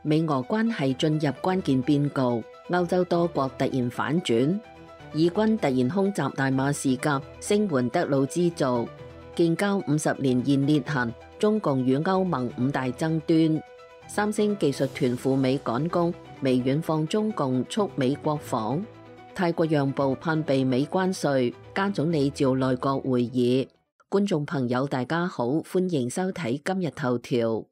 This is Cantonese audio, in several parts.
美俄關係進入關鍵變局，歐洲多國突然反轉，以軍突然空襲大馬士革，聲援德魯茲族，建交50年現裂痕，中共與歐盟5大爭端，三星技術團赴美趕工，微軟放中共促美國訪，泰國讓步盼避美關稅，加總理召內閣會議。觀眾朋友大家好，歡迎收睇今日頭條。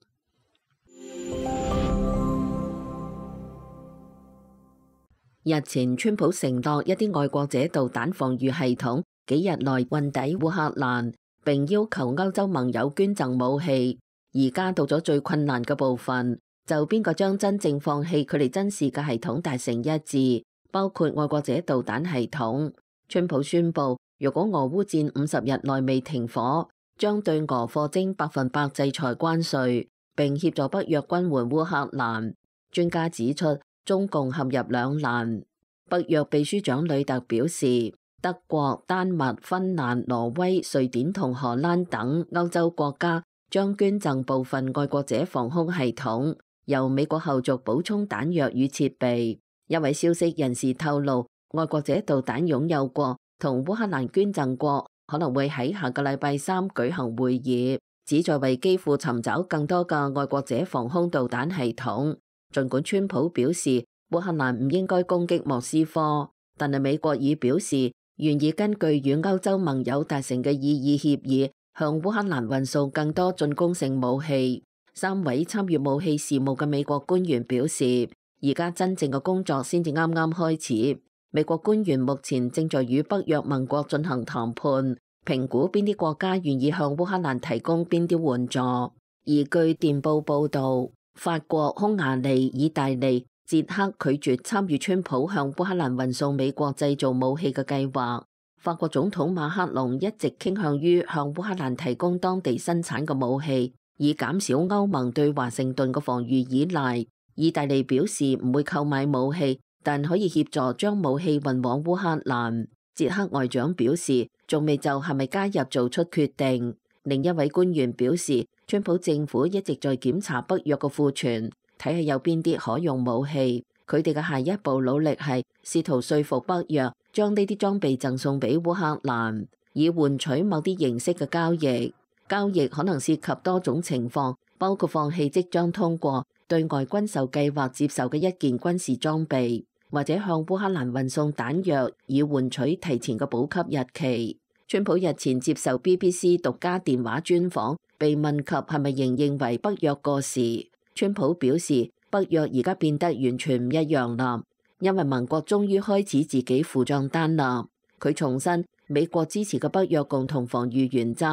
日前，川普承諾一啲愛國者導彈防禦系統幾日內運抵烏克蘭，並要求歐洲盟友捐贈武器。而家到咗最困難嘅部分，就邊個將真正放棄佢哋珍視嘅系統達成一致，包括愛國者導彈系統。川普宣布，如果俄烏戰50日內未停火，將對俄貨徵100%制裁關稅，並協助北約軍援烏克蘭。專家指出，中共陷入兩難。北約秘書長呂特表示，德國、丹麥、芬蘭、挪威、瑞典同荷蘭等歐洲國家將捐贈部分愛國者防空系統，由美國後續補充彈藥與設備。一位消息人士透露，愛國者導彈擁有國同烏克蘭捐贈國可能會喺下個禮拜3舉行會議，旨在為基輔尋找更多嘅愛國者防空導彈系統。儘管川普表示烏克蘭唔應該攻擊莫斯科，但係美國已表示願意根據與歐洲盟友達成嘅意義協議，向烏克蘭運送更多進攻性武器。3位參與武器事務嘅美國官員表示，而家真正嘅工作先至啱啱開始。美國官員目前正在與北約盟國進行談判，評估邊啲國家願意向烏克蘭提供邊啲援助。而據電報報導，法國、匈牙利、意大利、捷克拒絕參與川普向烏克蘭運送美國製造武器嘅計劃。法國總統馬克龍一直傾向於向烏克蘭提供當地生產嘅武器，以減少歐盟對華盛頓嘅防禦依賴。意大利表示唔會購買武器，但可以協助將武器運往烏克蘭。捷克外長表示仲未就係咪加入做出決定。另一位官員表示，川普政府一直在檢查北約嘅庫存，睇下有邊啲可用武器。佢哋嘅下一步努力係試圖說服北約將呢啲裝備贈送俾烏克蘭，以換取某啲形式嘅交易。交易可能涉及多種情況，包括放棄即將通過對外軍售計劃接受嘅一件軍事裝備，或者向烏克蘭運送彈藥，以換取提前嘅補給日期。川普日前接受 BBC 獨家電話專訪，被問及係咪仍認為北約過時，川普表示北約而家變得完全唔一樣啦，因為盟國終於開始自己付賬單啦。佢重申美國支持嘅北約共同防禦原則，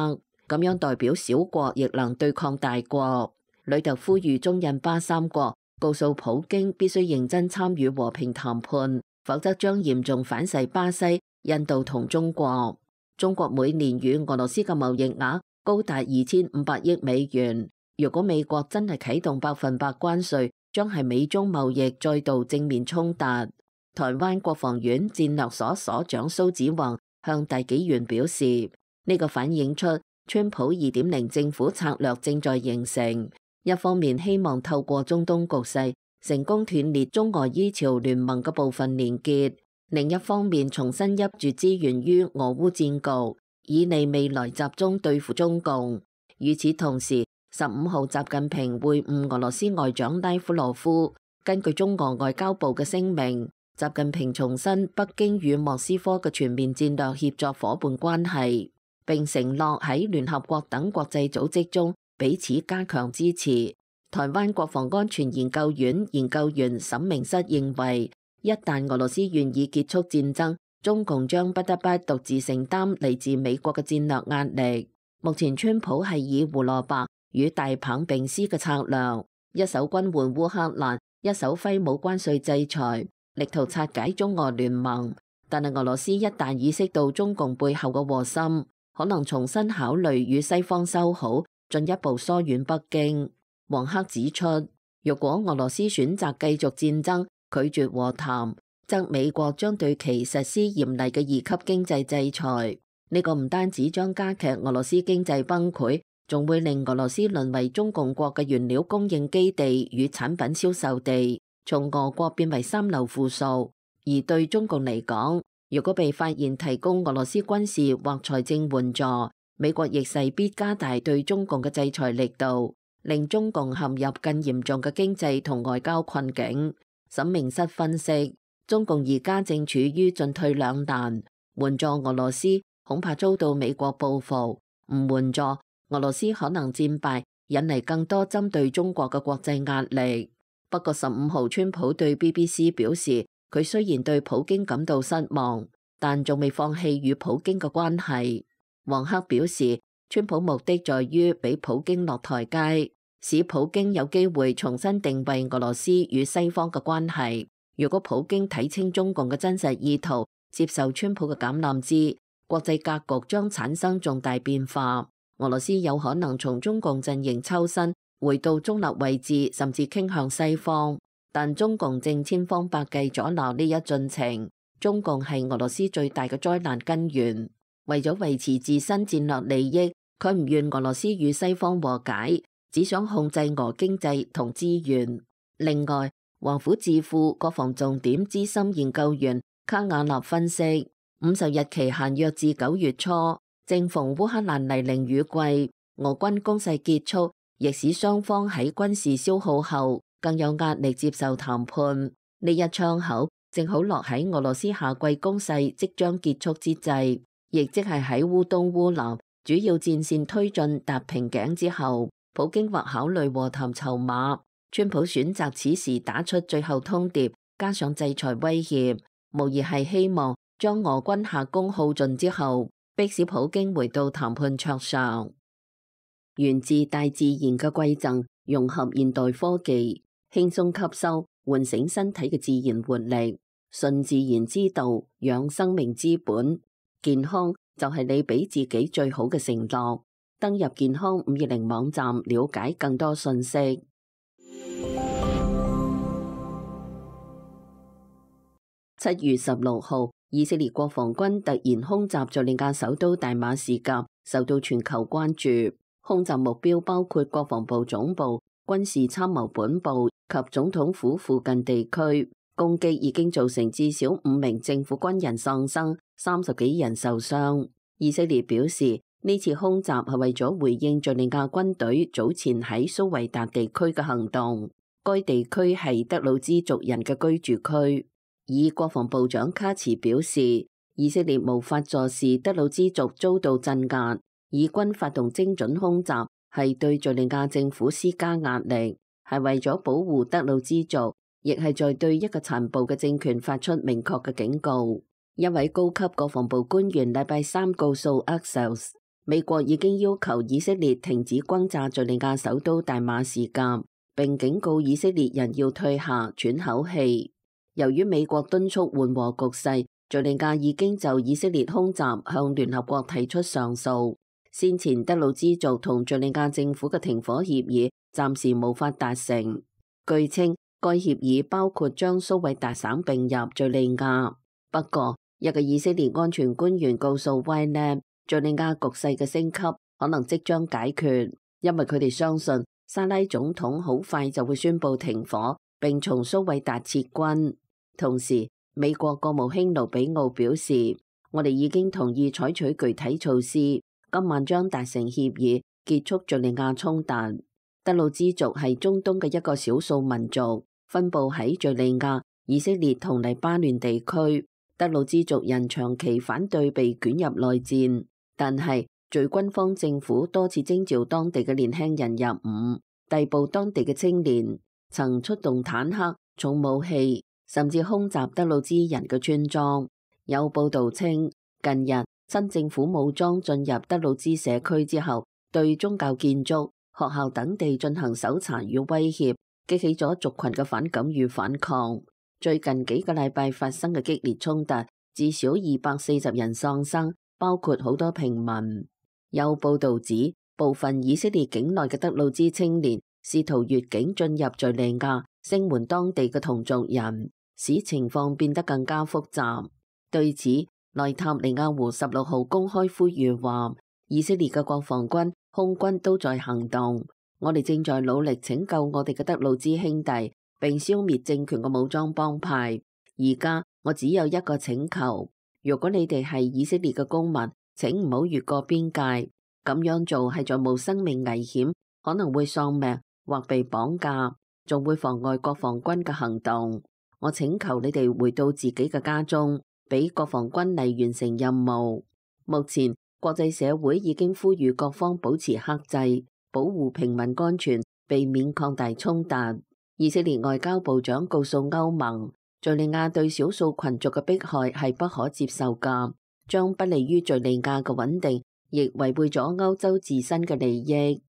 咁樣代表小國亦能對抗大國。呂特呼籲中印巴三國告訴普京必須認真參與和平談判，否則將嚴重反噬巴西、印度同中國。中國每年與俄羅斯嘅貿易額高達2500億美元。如果美國真係啟動100%關稅，將係美中貿易再度正面衝突。台灣國防院戰略所所長蘇紫宏向大紀元表示，呢個反映出川普2.0政府策略正在形成。一方面希望透過中東局勢成功斷裂中俄伊朝聯盟嘅部分連結，另一方面重新挹注資源於俄烏戰局，以利未來集中對付中共。與此同時，15號習近平會晤俄羅斯外長拉夫羅夫。根據中俄外交部嘅聲明，習近平重申北京與莫斯科嘅全面戰略協作夥伴關係，並承諾喺聯合國等國際組織中彼此加強支持。台灣國防安全研究院研究員沈明室認為，一旦俄羅斯願意結束戰爭，中共將不得不獨自承擔嚟自美國嘅戰略壓力。目前川普係以胡蘿蔔與大棒並施嘅策略，一手軍援烏克蘭，一手揮舞關稅制裁，力圖拆解中俄聯盟。但係俄羅斯一旦意識到中共背後嘅禍心，可能重新考慮與西方修好，進一步疏遠北京。黃克指出，若果俄羅斯選擇繼續戰爭，拒絕和談，則美國將對其實施嚴厲嘅2級經濟制裁。呢個唔單止將加劇俄羅斯經濟崩潰，仲會令俄羅斯淪為中共國嘅原料供應基地與產品銷售地，從俄國變為三流附屬。而對中共嚟講，如果被發現提供俄羅斯軍事或財政援助，美國亦勢必加大對中共嘅制裁力度，令中共陷入更嚴重嘅經濟同外交困境。沈明室分析，中共而家正處於進退兩難，援助俄羅斯恐怕遭到美國報復，唔援助俄羅斯可能戰敗，引嚟更多針對中國嘅國際壓力。不過15號，川普對 BBC 表示，佢雖然對普京感到失望，但仲未放棄與普京嘅關係。黃克表示，川普目的在於俾普京落台階，使普京有機會重新定位俄羅斯與西方嘅關係。如果普京睇清中共嘅真實意圖，接受川普嘅橄欖枝，國際格局將產生重大變化。俄羅斯有可能從中共陣營抽身，回到中立位置，甚至傾向西方。但中共正千方百計阻撓呢一進程。中共係俄羅斯最大嘅災難根源。為咗維持自身戰略利益，佢唔願俄羅斯與西方和解，只想控制俄經濟同資源。另外，華府智庫國防重點資深研究員卡瓦納分析，50日期限約至9月初，正逢烏克蘭泥濘雨季，俄軍攻勢結束，亦使雙方喺軍事消耗後更有壓力接受談判。呢一窗口正好落喺俄羅斯夏季攻勢即將結束之際，亦即係喺烏東烏南主要戰線推進達瓶頸之後，普京或考慮和談籌碼。川普選擇此時打出最後通牒，加上制裁威脅，無疑係希望將俄軍下攻耗盡之後，迫使普京回到談判桌上。源自大自然嘅饋贈，融合現代科技，輕鬆吸收，喚醒身體嘅自然活力。順自然之道，養生命之本。健康就係你俾自己最好嘅承諾。登入健康520網站，了解更多信息。7月16號，以色列國防軍突然空襲敘利亞首都大馬士革，受到全球關注。空襲目標包括國防部總部、軍事參謀本部及總統府附近地區。攻擊已經造成至少5名政府軍人喪生，30幾人受傷。以色列表示，呢次空襲係為咗回應敘利亞軍隊早前喺蘇維達地區嘅行動。該地區係德魯茲族人嘅居住區。以國防部長卡茨表示，以色列無法坐視德魯茲族遭到鎮壓，以軍發動精準空襲係對敘利亞政府施加壓力，係為咗保護德魯茲族，亦係在對一個殘暴嘅政權發出明確嘅警告。一位高級國防部官員禮拜三告訴 Axios， 美國已經要求以色列停止轟炸敘利亞首都大馬士革，並警告以色列人要退下喘口氣。由於美國敦促緩和局勢，敘利亞已經就以色列空襲向聯合國提出上訴。先前德魯茲族同敘利亞政府嘅停火協議暫時無法達成。據稱，該協議包括將蘇維達省併入敘利亞。不過，一個以色列安全官員告訴 Ynet， 敘利亞局勢嘅升級可能即將解決，因為佢哋相信沙拉總統好快就會宣布停火，並從蘇維達撤軍。同時，美國國務卿盧比奧表示，我哋已經同意採取具體措施，今晚將達成協議，結束敘利亞衝突。德魯茲族係中東嘅一個少數民族，分布喺敘利亞、以色列同黎巴嫩地區。德魯茲族人長期反對被捲入內戰，但係隨軍方政府多次徵召當地嘅年輕人入伍，逮捕當地嘅青年，曾出動坦克、重武器，甚至空襲德魯茲人嘅村莊。有報道稱，近日新政府武裝進入德魯茲社區之後，對宗教建築、學校等地進行搜查與威脅，激起咗族群嘅反感與反抗。最近幾個禮拜發生嘅激烈衝突，至少240人喪生，包括好多平民。有報道指，部分以色列境內嘅德魯茲青年試圖越境進入敘利亞，聲援當地嘅同族人，使情況變得更加複雜。對此，內塔尼亞胡16號公開呼籲話，以色列嘅國防軍空軍都在行動。我哋正在努力拯救我哋嘅德魯茲兄弟，並消滅政權嘅武裝幫派。而家我只有一個請求，如果你哋係以色列嘅公民，請唔好越過邊界。咁樣做係在冒生命危險，可能會喪命或被綁架，仲會妨礙國防軍嘅行動。我請求你哋回到自己嘅家中，俾國防軍嚟完成任務。目前國際社會已經呼籲各方保持克制，保護平民安全，避免擴大衝突。以色列外交部長告訴歐盟，敘利亞對少數群族嘅迫害係不可接受㗎，將不利於敘利亞嘅穩定，亦違背咗歐洲自身嘅利益。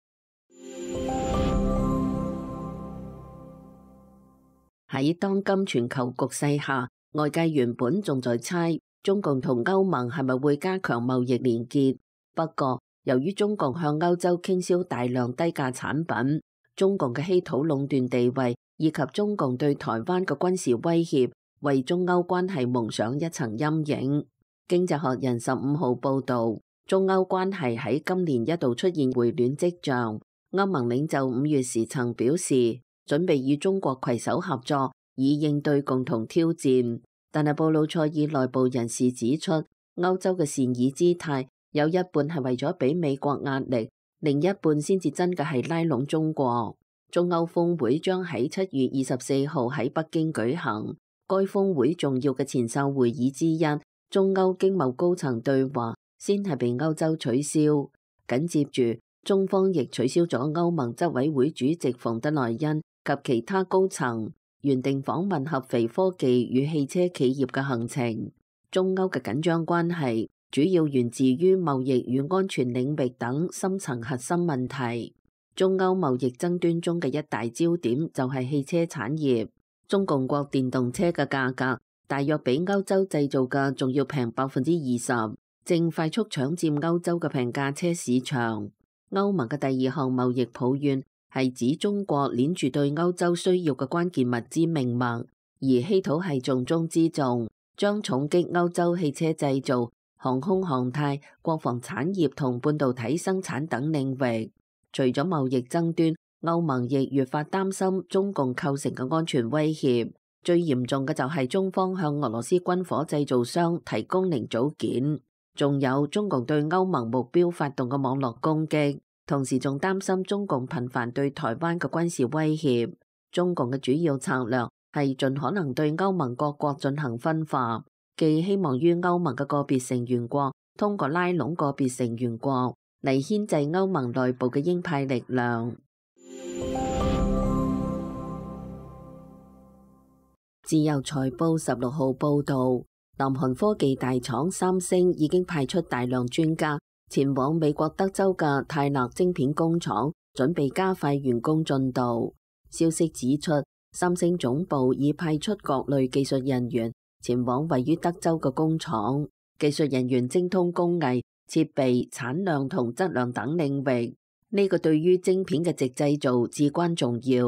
喺當今全球局勢下，外界原本仲在猜中共同歐盟係咪會加強貿易連結。不過，由於中共向歐洲傾銷大量低價產品，中共嘅稀土壟斷地位以及中共對台灣嘅軍事威脅，為中歐關係蒙上一層陰影。經濟學人15號報導，中歐關係喺今年一度出現回暖跡象。歐盟領袖5月時曾表示，準備與中國攜手合作，以應對共同挑戰。但係布魯塞爾內部人士指出，歐洲嘅善意姿態有一半係為咗俾美國壓力，另一半先至真嘅係拉攏中國。中歐峰會將喺7月24號喺北京舉行，該峰會重要嘅前哨會議之一，中歐經貿高層對話先係被歐洲取消，緊接住中方亦取消咗歐盟執委會主席馮德萊恩及其他高層原定訪問合肥科技與汽車企業嘅行程。中歐嘅緊張關係主要源自於貿易與安全領域等深層核心問題。中歐貿易爭端中嘅一大焦點就係汽車產業。中共國電動車嘅價格大約比歐洲製造嘅仲要平20%，正快速搶佔歐洲嘅平價車市場。歐盟嘅第二項貿易抱怨係指中國鏈住對歐洲需要嘅關鍵物資命脈，而稀土係重中之重，將重擊歐洲汽車製造、航空航太、國防產業同半導體生產等領域。除咗貿易爭端，歐盟亦越發擔心中共構成嘅安全威脅。最嚴重嘅就係中方向俄羅斯軍火製造商提供零組件，仲有中共對歐盟目標發動嘅網絡攻擊，同時仲擔心中共頻繁對台灣嘅軍事威脅。中共嘅主要策略係盡可能對歐盟各國進行分化，既希望於歐盟嘅個別成員國通過拉攏個別成員國嚟牽制歐盟內部嘅鷹派力量。自由財報16號報導，南韓科技大廠三星已經派出大量專家前往美國德州嘅泰勒晶片工廠，準備加快完工進度。消息指出，三星總部已派出各類技術人員前往位於德州嘅工廠，技術人員精通工藝、設備、產量同質量等領域。呢個對於晶片嘅直製造至關重要。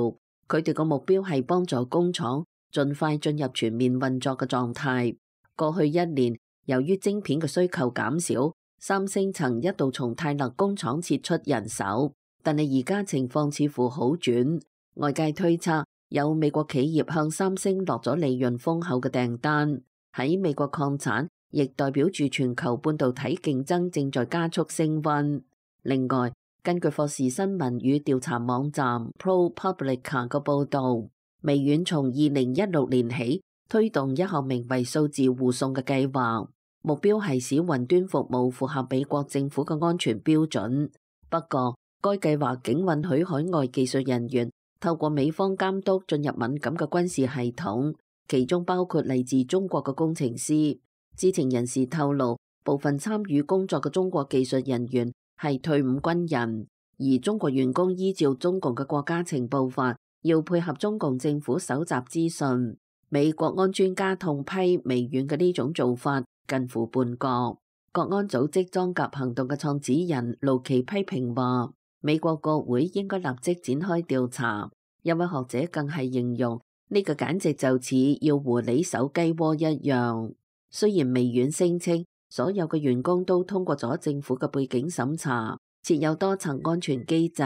佢哋個目標係幫助工廠盡快進入全面運作嘅狀態。過去一年，由於晶片嘅需求減少，三星曾一度從泰勒工廠撤出人手，但係而家情況似乎好轉。外界推測，有美國企業向三星落咗利潤豐厚嘅訂單。喺美國擴產，亦代表住全球半導體競爭正在加速升溫。另外，根據霍士新聞與調查網站 ProPublica 嘅報導，微軟從2016年起推動一項名為數字護送嘅計劃，目標係使雲端服務符合美國政府嘅安全標準。不過，該計劃僅允許海外技術人員透過美方監督進入敏感嘅軍事系統，其中包括嚟自中國嘅工程師。知情人士透露，部分參與工作嘅中國技術人員係退伍軍人，而中國員工依照中共嘅國家情報法，要配合中共政府搜集資訊。美國安專家痛批微軟嘅呢種做法近乎叛國。國安組織裝甲行動嘅創始人盧奇批評話，美國國會應該立即展開調查。一位學者更係形容呢個簡直就似要狐狸搜雞窩一樣。雖然微軟聲稱所有嘅員工都通過咗政府嘅背景審查，設有多層安全機制。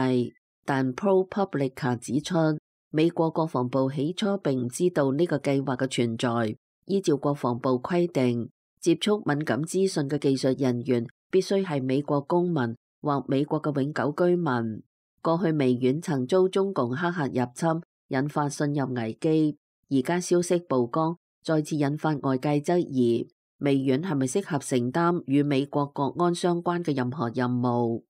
但 ProPublica 指出，美國國防部起初並唔知道呢個計劃嘅存在。依照國防部規定，接觸敏感資訊嘅技術人員必須係美國公民或美國嘅永久居民。過去微軟曾遭中共黑客入侵，引發信任危機。而家消息曝光，再次引發外界質疑，微軟係咪適合承擔與美國國安相關嘅任何任務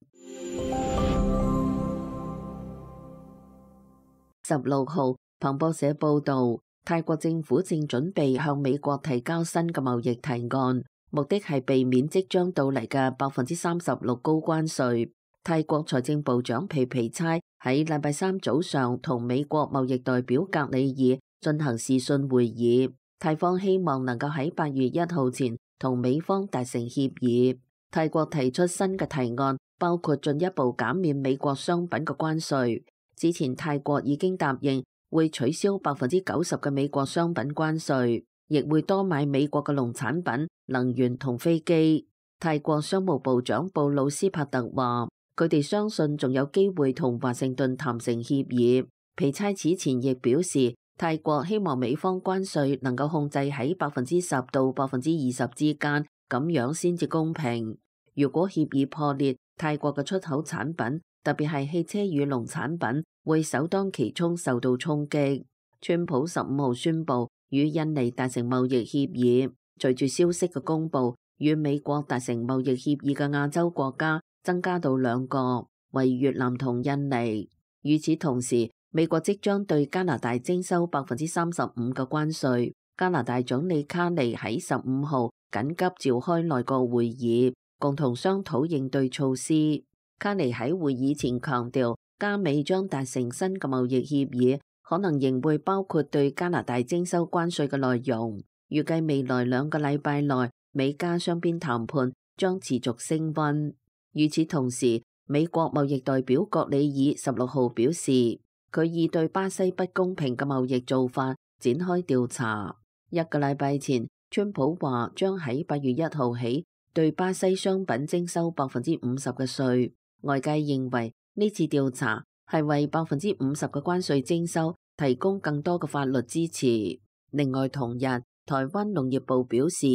？16號，彭博社報導，泰國政府正準備向美國提交新嘅貿易提案，目的係避免即將到嚟嘅36%高關稅。泰國財政部長皮皮差喺禮拜三早上同美國貿易代表格里爾進行視訊會議，泰方希望能夠喺8月1號前同美方達成協議。泰國提出新嘅提案，包括進一步減免美國商品嘅關稅。之前泰國已經答應會取消90%嘅美國商品關稅，亦會多買美國嘅農產品、能源同飛機。泰國商務部長布魯斯帕特話，佢哋相信仲有機會同華盛頓談成協議。皮差此前亦表示，泰國希望美方關稅能夠控制喺10%到20%之間，咁樣先至公平。如果協議破裂，泰國嘅出口產品，特別係汽車與農產品，會首當其衝受到衝擊。川普15號宣布與印尼達成貿易協議，隨住消息嘅公佈，與美國達成貿易協議嘅亞洲國家增加到2個，為越南同印尼。與此同時，美國即將對加拿大徵收35%嘅關稅。加拿大總理卡尼喺15號緊急召開內閣會議，共同商討應對措施。卡尼喺會議前強調，加美將達成新嘅貿易協議，可能仍會包括對加拿大徵收關稅嘅內容。預計未來2個禮拜內，美加雙邊談判將持續升溫。與此同時，美國貿易代表葛里爾16號表示，佢已對巴西不公平嘅貿易做法展開調查。1個禮拜前，川普話將喺8月1號起對巴西商品徵收50%嘅稅。外界認為呢次調查係為50%嘅關稅徵收提供更多嘅法律支持。另外同日，台灣農業部表示，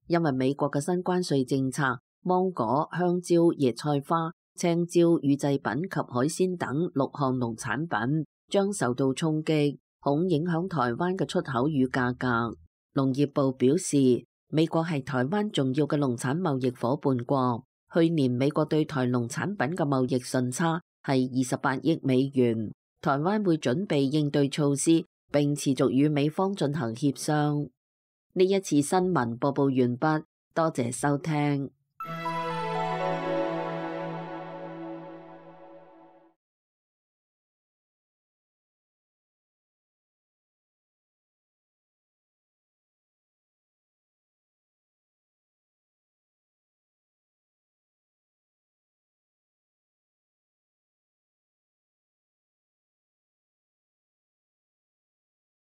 因為美國嘅新關稅政策，芒果、香蕉、椰菜花、青椒、乳製品及海鮮等6項農產品將受到衝擊，恐影響台灣嘅出口與價格。農業部表示，美國係台灣重要嘅農產貿易夥伴國。去年美國對台農產品嘅貿易順差係28億美元，台灣會準備應對措施，並持續與美方進行協商。呢一次新聞播報完畢，多謝收聽。